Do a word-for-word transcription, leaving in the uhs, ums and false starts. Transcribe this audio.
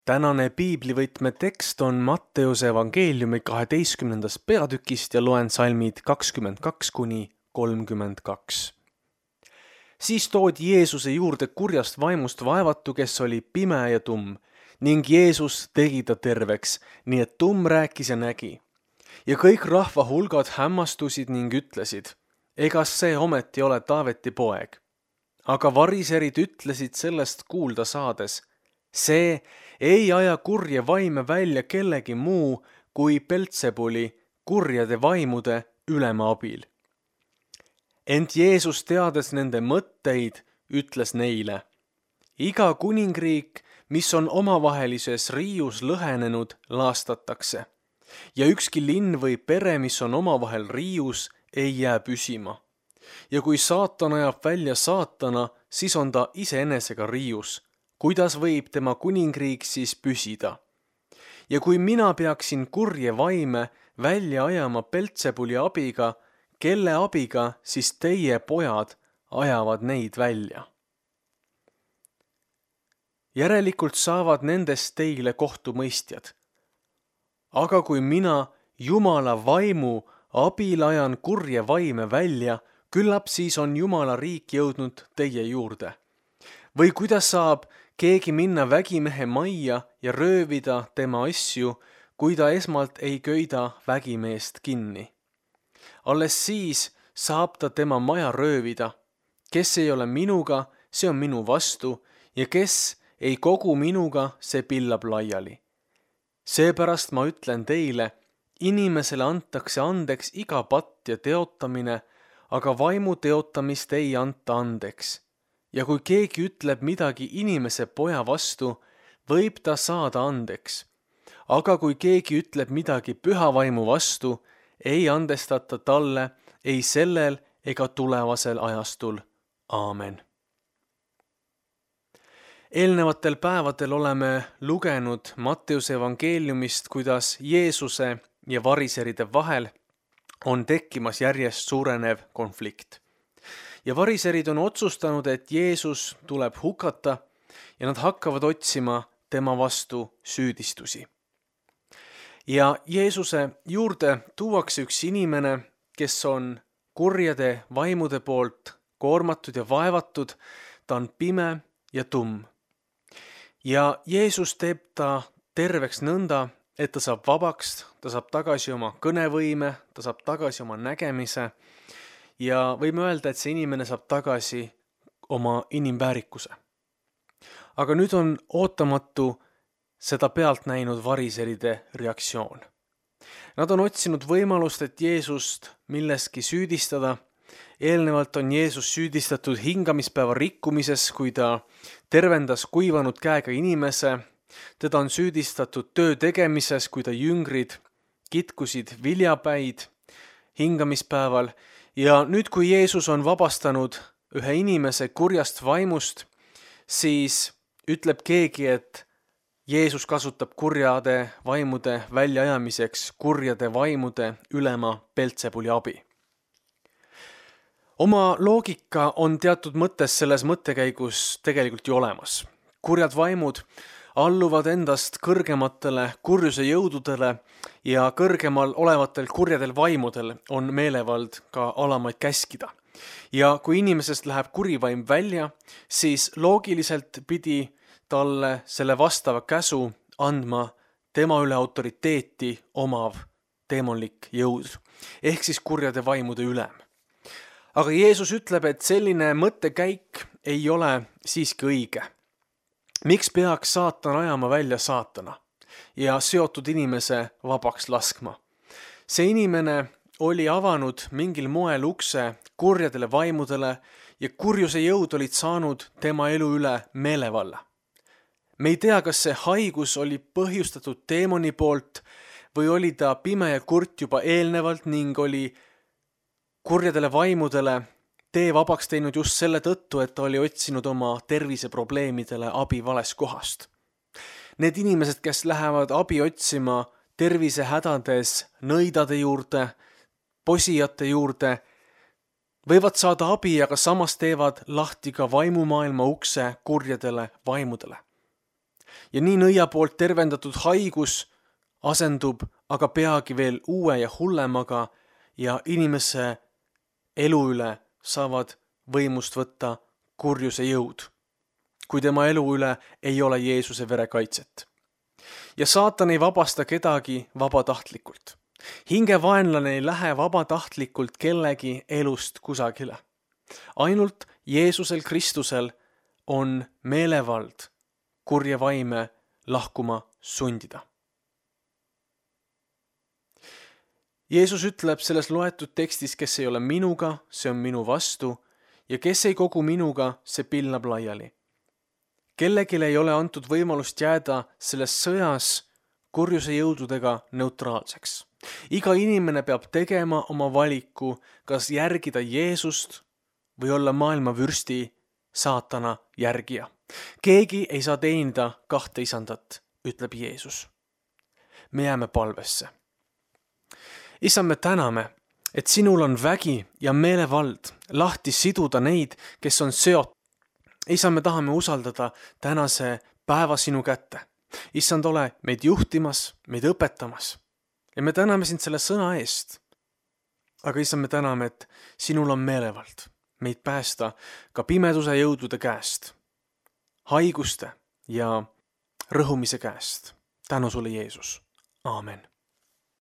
Tänane piiblivõtme tekst on Matteuse evangeeliumi kaheteistkümnendast peatükist ja loen salmid kakskümmend kaks kuni kolmkümmend kaks. Siis toodi Jeesuse juurde kurjast vaimust vaevatu, kes oli pime ja tumm, ning Jeesus tegi ta terveks, nii et tumm rääkis ja nägi. Ja kõik rahva hulgad hämmastusid ning ütlesid, egas see ometi ole Taaveti poeg. Aga variserid ütlesid sellest kuulda saades, see ei aja kurje vaime välja kellegi muu kui Beltsebuli kurjade vaimude ülema abil. Ent Jeesus teades nende mõtteid, ütles neile, iga kuningriik, mis on omavahelises riius lõhenenud, laastatakse, ja ükski linn või pere, mis on omavahel riius, ei jää püsima. Ja kui saatan ajab välja saatana, siis on ta iseenesega riius. Kuidas võib tema kuningriik siis püsida? Ja kui mina peaksin kurje vaime välja ajama Beltsebuli abiga, kelle abiga siis teie pojad ajavad neid välja? Järelikult saavad nendest teile kohtumõistjad. Aga kui mina Jumala vaimu abil ajan kurje vaime välja, küllap siis on Jumala riik jõudnud teie juurde. Või kuidas saab keegi minna vägimehe majja ja röövida tema asju, kui ta esmalt ei köida vägimeest kinni? Alles siis saab ta tema maja röövida. Kes ei ole minuga, see on minu vastu, ja kes ei kogu minuga, see pillab laiali. Seepärast ma ütlen teile, inimesele antakse andeks iga patt ja teotamine, aga vaimu teotamist ei anta andeks. Ja kui keegi ütleb midagi inimese poja vastu, võib ta saada andeks. Aga kui keegi ütleb midagi püha vaimu vastu, ei andestata talle ei sellel ega tulevasel ajastul. Aamen. Eelnevatel päevadel oleme lugenud Matteuse evangeeliumist, kuidas Jeesuse ja variseride vahel on tekkimas järjest suurenev konflikt. Ja variserid on otsustanud, et Jeesus tuleb hukata ja nad hakkavad otsima tema vastu süüdistusi. Ja Jeesuse juurde tuuakse üks inimene, kes on kurjade vaimude poolt koormatud ja vaevatud, ta on pime ja tumm. Ja Jeesus teeb ta terveks nõnda, et ta saab vabaks, ta saab tagasi oma kõnevõime, ta saab tagasi oma nägemise ja võime öelda, et see inimene saab tagasi oma inimväärikuse. Aga nüüd on ootamatu seda pealt näinud variseride reaktsioon. Nad on otsinud võimalust, et Jeesust milleski süüdistada. Eelnevalt on Jeesus süüdistatud hingamispäeva rikkumises, kui ta tervendas kuivanud käega inimese. Teda on süüdistatud töö tegemises, kui ta jüngrid kitkusid viljapäid hingamispäeval. Ja nüüd, kui Jeesus on vabastanud ühe inimese kurjast vaimust, siis ütleb keegi, et Jeesus kasutab kurjade vaimude väljaajamiseks kurjade vaimude ülema Beltsebuli abi. Oma loogika on teatud mõttes selles mõttekäigus tegelikult ju olemas. Kurjad vaimud alluvad endast kõrgematele kurjuse jõududele ja kõrgemal olevatel kurjadel vaimudel on meelevald ka alamaid käskida. Ja kui inimesest läheb kurivaim välja, siis loogiliselt pidi talle selle vastava käsu andma tema üle autoriteeti omav teemonlik jõud, ehk siis kurjade vaimude ülem. Aga Jeesus ütleb, et selline mõttekäik ei ole siiski õige. Miks peaks saatan ajama välja saatana ja seotud inimese vabaks laskma? See inimene oli avanud mingil moel ukse kurjadele vaimudele ja kurjuse jõud olid saanud tema elu üle meelevalla. Me ei tea, kas see haigus oli põhjustatud teemoni poolt või oli ta pime ja kurt juba eelnevalt ning oli kurjadele vaimudele tee vabaks teinud just selle tõttu, et ta oli otsinud oma terviseprobleemidele abi vales kohast. Need inimesed, kes lähevad abi otsima tervisehädades nõidade juurde, posijate juurde, võivad saada abi, aga samas teevad lahti ka vaimumaailma ukse kurjadele vaimudele. ja nii nõia poolt tervendatud haigus asendub aga peagi veel uue ja hullemaga ja inimese elu üle saavad võimust võtta kurjuse jõud, kui tema elu üle ei ole Jeesuse verekaitset. Ja saatan ei vabasta kedagi vabatahtlikult. Hingevaenlane ei lähe vabatahtlikult kellegi elust kusagile. Ainult Jeesusel Kristusel on meelevald kurje vaime lahkuma sundida. Jeesus ütleb selles loetud tekstis, kes ei ole minuga, see on minu vastu, ja kes ei kogu minuga, see pillab laiali. Kellegile ei ole antud võimalust jääda selles sõjas kurjuse jõududega neutraalseks. Iga inimene peab tegema oma valiku, kas järgida Jeesust või olla maailma vürsti saatana järgija. Keegi ei saa teenida kahte isandat, ütleb Jeesus. Me jääme palvesse. Isa, me täname, et sinul on vägi ja meelevald lahti siduda neid, kes on seotud. Isa, me tahame usaldada tänase päeva sinu kätte. Issand, ole meid juhtimas, meid õpetamas. Ja me täname sind selle sõna eest. Aga issand, me täname, et sinul on meelevald meid päästa ka pimeduse jõudude käest, haiguste ja rõhumise käest. Tänu sulle, Jeesus. Aamen.